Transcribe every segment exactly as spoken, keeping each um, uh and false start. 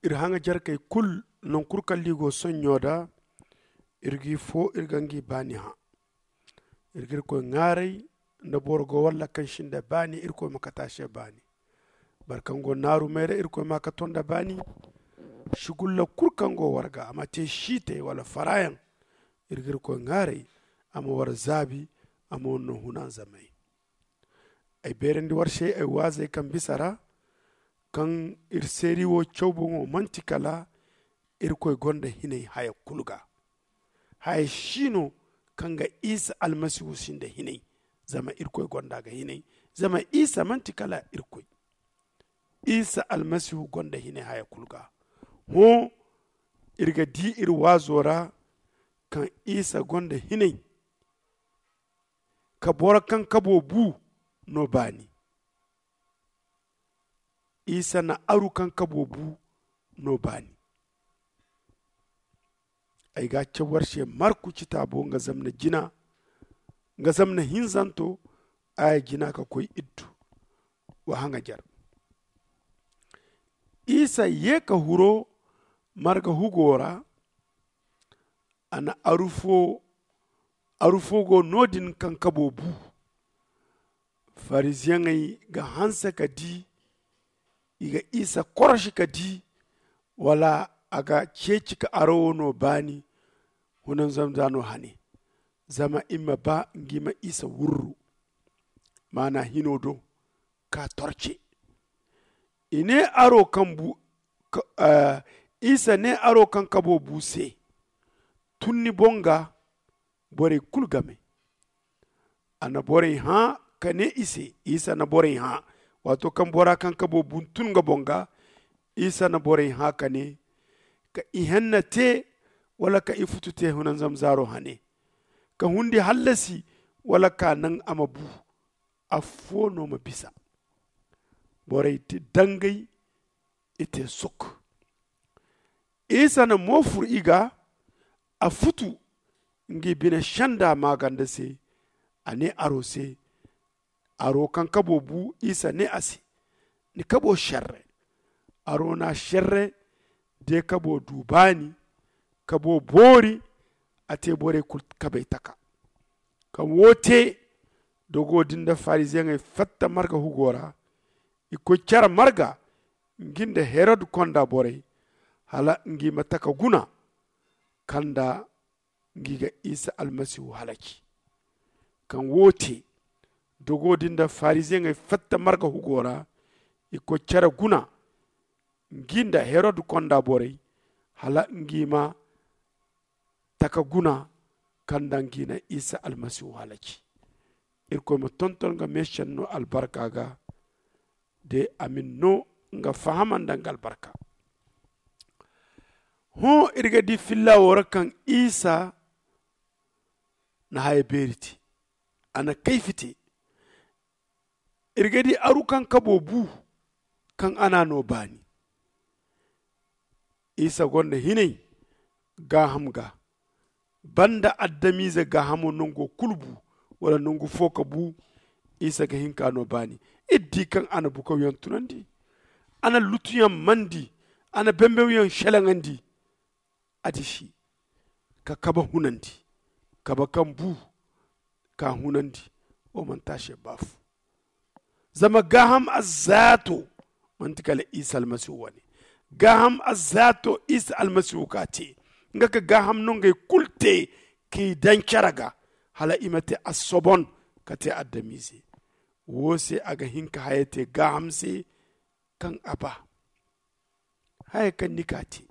Iri haŋajarkey kulu, nangu kulu kaŋ liigo sonɲo da, iri g'i foo iri ga ngi baani hã. Iri ga irkoy ŋaaray nda boro go walla kaŋ sinda baani, irkoy ma kate a se baani. Boro kaŋ go naarumey ra, irkoy ma a kato nda baani. Sugulla kulu kaŋ go war ga, a ma te siitey wala faraayaŋ. Iri ga irkoy ŋaaray a ma war zaabi, a ma war no hunanzamey. Ay beerandi war se ay waazey kaŋ bisa ra, kaŋ iri seeri wo caw boŋo manti kala irkoy gonda hinay haya kulu ga. Haya si no kaŋ ga isa almasihu sinda hinay. Zama irkoy gonda ga hinay. Zama isa manti kala irkoy. Isa almasihu gonda hinay haya kulu ga. Hõ, iri ga di iri waazo ra kaŋ isa gonda hinay ka boro kaŋ kabo bu no baani. Isa na aru kaŋ kabo bu no baani. Ay ga a caw war se marku citaabo nga zamna jina, nga zamna hinzanto, aya jina ka koy iddu. Wa haŋajar. Isa ye ka huro marga hugo ra. A na aru fo aru fo go no- din kaŋ kabo bu. Fariziyeŋey ga hanse ka di, i ga isa korosi ka di, wala a ga ceeci ka aro wo no baani, hunanzamza no hane, zama i ma ba ngi ma isa wurru, maana hino do ka torce. I ne aro kaŋ bu isa ne aro kaŋ kabo bu se, tun ni boŋ ga borey kulu game. A na borey hã ka ne i se, isa na borey hã. Waato kaŋ bora kaŋ kabo bu tun nga boŋ ga, isa na borey hã ka ne, ka ihenna te, wala ka ifutu te hunanzamzaaro hane, ka hundi hallasi, wala ka naŋ a ma bu. Affo no ma bisa. Borey te dangay, i te suk. Isa na mo fur i ga, a futu, ngi bine senda maaganda se. A ne aro se, aro kaŋ kabo bu. Isa ne a se, ni kabo serre. Aro na serre, de kabo du baani, kabo boori. A te borey kulu kabay taka. Kaŋ wo te, dogo din da fariziyeŋey fatta marga hugo ra. I koy care marga, ngi nda herod konda borey, hala ngi ma taka guna kaŋ nda ngi ga isa almasihu halaci. Kaŋ wo te, dogo din da fariziyeŋey fatta marga hugo ra. I koy care guna, ngi nda herod konda borey, hala ngi ma taka guna kaŋ nda ngi na isa almasihu halaci. Irkoy ma tonton nga meesenno albarka ga, de a ma ni no nga fahama nda nga albarka. Hõ, iri ga di filla wo ra kaŋ isa na haya beeri te, a na kayfi te. Iri ga di aru kaŋ kabo bu, kaŋ a na no baani. Isa gonda hinay gaaham ga, banda adamize gaahamo nango kulu bu, wala nangu fo ka bu. Isa ga hin ka no baani. Iri di kaŋ a na bukawyaŋ tunandi, a na lutuyaŋ mandi, a na bembewyaŋ selaŋandi. A disi ka kaba hunandi, kaba kaŋ bu ka hunandi. Wo manti a se baafu. Zama gaaham azzaato manti kala isa almasihu wane. Gaaham azzaato isa almasihu ka te, nga ka gaaham nongey kulu te k'i daŋ care ga, hala i ma te assobon ka te adamize. Wo se a ga hin ka haya te gaaham se kaŋ a ba. Haya kaŋ ni ka te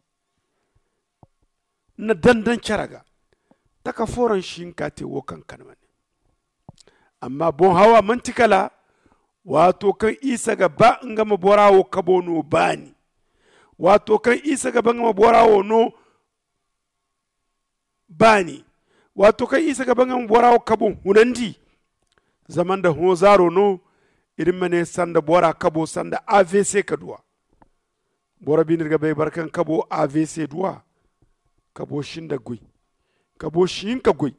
na dandaŋ care ga, taka fooraŋ si hin ka te wo kaŋ kande wane. Amma boŋ hawa manti kala waato kaŋ isa ga ba nga ma bora wo kabo no baani. Waato kaŋ isa ga ba nga ma bora wo no baani. Waato kaŋ isa ga ba nga ma bora wo kabo hunandi. Zama nda hõ zaaro no, iri ma ne sanda bora kabo sanda avc ka duwa. Boro bine iri ga bay boro kaŋ kabo avc duwa. Kabo sinda goy. Kabo si hin ka goy.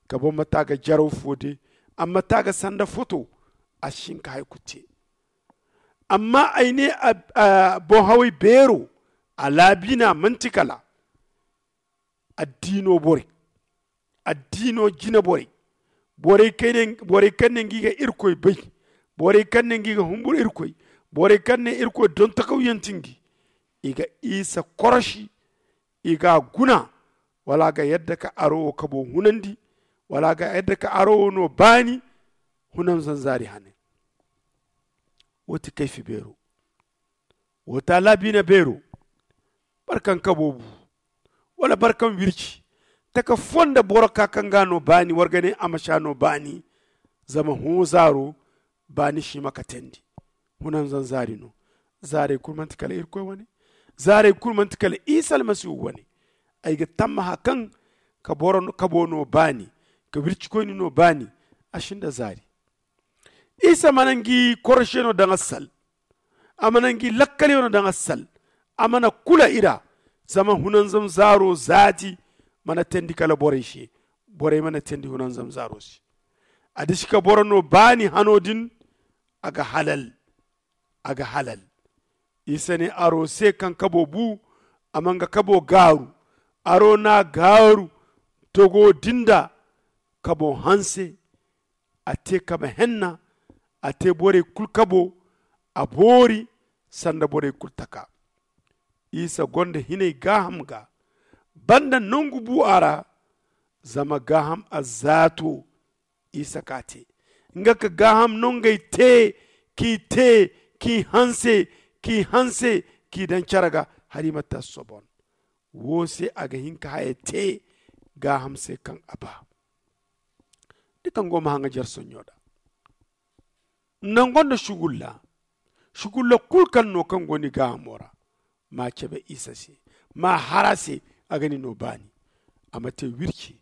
Kabo ma ta ga jaraw fo de. Amma ta ga sanda foto. A si hin ka hari kulu te. Amma ay ne boŋ haway beero, A laabiina manti kala addiino borey, addiino jine borey, borey kaŋ ne ngi ga irkoy bay, borey kaŋ ne ngi ga humbur irkoy, borey kaŋ ne irkoy doŋ takawyanti ngi. I ga isa korosi, i ga a guna, wala a ga yadda ka aro wo kabo hunandi, wala a ga yadda ka aro wo no baani. Hunan zanzaari hane. Wo ti kayfi beero. Wo ti a laabiina beero. Barkaŋ kabo bu, wala barkaŋ wirci taka fo nda boro ka kaŋ ga no baani war ga ne a ma si a no baani. Zama hõ zaaro baani si ma katandi. Hunan zanzaari no. Zaarey kulu manti kala irkoy wane. Zaarey kulu manti kala isa almasihu wane. Ay ga tammaha kaŋ ka boro kabo no baani, ka wircikoyni no baani. A si nda zaari. Isa mana ngi korosiyano daŋ a sal. A mana ngi lakkaliyo no daŋ a sal. A mana kula i ra. Zama hunanzam zaaro zaati mana teendi kala borey se. Borey mana teendi hunanzam zaaro se. A disi ka boro no baani hano din. A ga halal. A ga halal. Isa ne aro se kaŋ kabo bu. A ma nga kabo gaaru. Aro n'a gaaru. Togo din da kabo hanse. A te kabe henna. A te borey kulu kabo. A boori sanda borey kulu taka. Isa gonda hinay gaaham ga banda nangu bu a ra. Zama gaaham azzaato isa ka te. Nga ka gaaham nongey te, k'i te, k'i hanse, k'i hanse, k'i daŋ care ga. Hari ma ta sobon. Wo se a ga hin ka haya te gaaham se kaŋ a ba. Ni kaŋ go ma haŋa jare sonɲo da nango nda sugulla. Sugulla kulu kaŋ no kaŋ go ni gaahamo ra. Ma cabe isa se. Ma har a se. A ga ni no baani. A ma te wirci.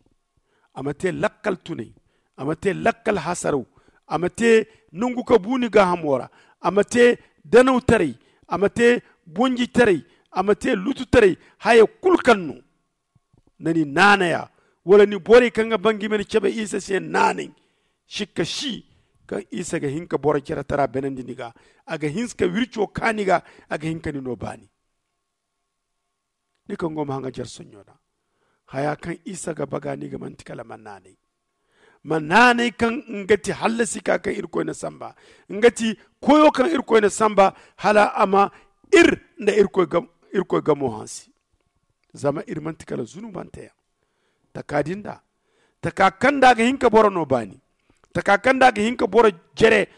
A ma te lakkal tunay. A ma te lakkal hasaraw. A ma te nangu ka bu ni gaahamo ra. A ma te danawtaray. A ma te bonjitaray. A ma te lututaray. Haya kulu kaŋ no na ni naanaya, wala ni borey kaŋ ga ba nga i ma ni cabe isa se naanay. Sikka si kaŋ isa ga hin ka boro jere tara beenandi ni ga. A ga hin ka wirco ka ni ga. A ga hin ka ni no baani. Ni kaŋ go ma haŋa jare sonɲo da haya kaŋ isa ga ba ga ni ga manti kala ma naanay. Ma naanay kaŋ nga ti hallasi ka kaŋ irkoy na samba. Nga ti koyo kaŋ irkoy na samba hala a ma ir nda irkoy gamo hansi. Zama iri manti kala zunubante yaŋ. Taka din da taka kaŋ da a ga hin ka boro no baani. Taka kaŋ da a ga hin ka boro jere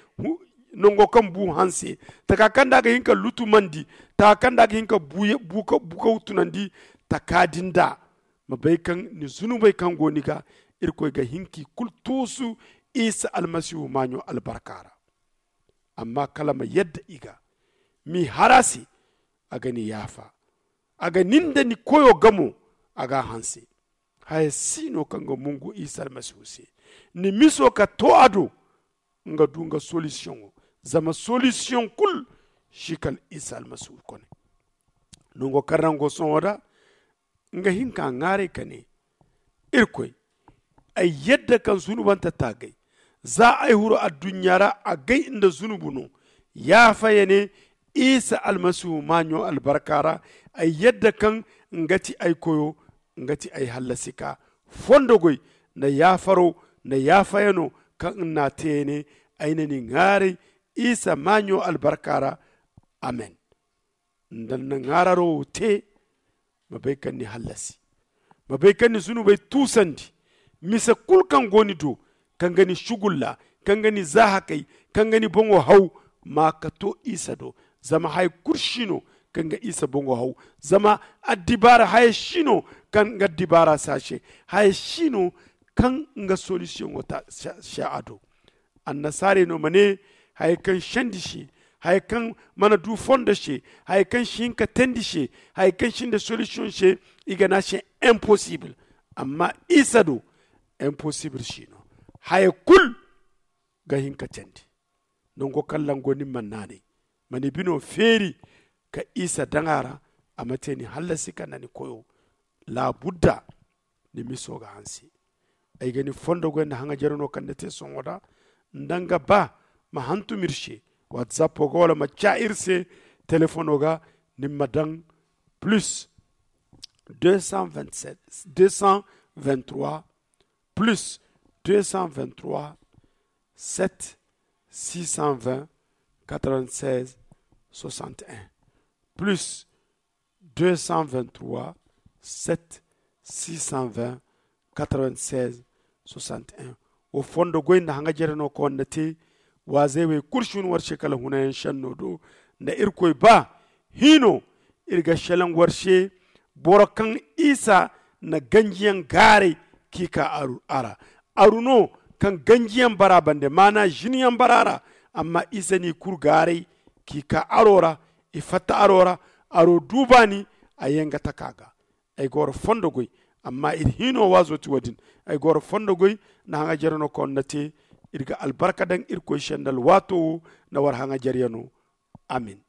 nango kaŋ bu hanse. Taka kaŋ da a ga hin ka lutumandi. Taka kaŋ da a ga hin ka bukaw tunandi. Taka din da ma bay kaŋ ni zunubey kaŋ go ni ga irkoy ga hin k'i kulu tuusu isa almasihu maaɲo albarka ra. Amma kala ma yadda i ga m'i har a se. A ga ni yaafa. A ga ni nda ni koyo gamo. A ga a hanse. Haya si no kaŋ ga mungu isa almasihu se ni miso ka to a do. Nga du nga solisiyoŋo. Zama solisiyoŋ kulu si kala isa almasihu kone. Nango kaŋ ra nga go sohõ da nga hin ka ŋwaaray ka ne, irkoy, ay yadda kaŋ zunubante ta gay. Za ay huru adduɲɲa ra agay nda zunubu no. Yaafa ya ne isa almasihu maaɲo albarka ra. Ay yadda kaŋ nga ti ay koyo, nga ti ay hallasika. Fondogoy nda yaafaro nda yaafayano kaŋ nga n'a te ya ne. Ay na ni ŋwaaray isa maaɲo albarka ra. Amen. Nda ni na ŋaararo wo te, ma bay kaŋ ni hallasi. Ma bay kaŋ ni zunubey tuusandi. Mise kulu kaŋ go ni do, kaŋ ga ni sugulla, kaŋ ga ni zaahakay, kaŋ ga ni boŋo haw, ma ka to isa do. Zama haya kulu si no kaŋ ga isa boŋo haw. Zama addibaara haya si no kaŋ ga addibaara saase. Haya si no kaŋ nga solisiyoŋo ta se a do. Annasaarey no ma ne, haya kaŋ sendi se, haya kaŋ mana du fondo se, haya kaŋ si hin ka teendi se, haya kaŋ sinda solisiyoŋ se, i ga ne a se imposible. Amma isa do imposible si no. Haya kulu ga hin ka teendi. Nango kaŋ lango ni ma naanay, ma ni bino feeri ka isa daŋ a ra. A ma te ni hallasi ka nda ni koyo. Laabudda ni miso ga hanse. Ay ga ni fondo goy nda haŋajere no kaŋ ni te sohõ da. Nda nga ba ma hantum iri se watsapo ga wala ma ca iri se telefono ga. Ni ma daŋ Plus deux cent vingt-sept, deux cent vingt-trois, plus deux cent vingt-trois, sept, six cent vingt, quatre-vingt-seize, soixante et un, plus deux cent vingt-trois, sept, six cent vingt, quatre-vingt-seize, soixante et un. Wo fondo goy nda haŋajerey no kaŋ war na te. Waazey wey kulu si hun war se kala hunayaŋ senno do nda irkoy ba hiino. Iri ga selaŋ war se boro kaŋ isa na ganjiyaŋ gaaray k'i ka aru a ra. Aru no kaŋ ganjiyaŋ bara bande maana ziniyaŋ bara ra. Amma isa n'i kulu gaaray k'i ka aro ra. I fatta aro ra. Aro du baani a yee nga taka ga. Ay ga war fondo goy. Amma iri hiino waazo ti wo- din. Ay ga war fondo goy nda haŋajerey no kaŋ war na te. Iri ga albarka daŋ irkoy se nda alwaato wo nda war haŋajereyano. Amin.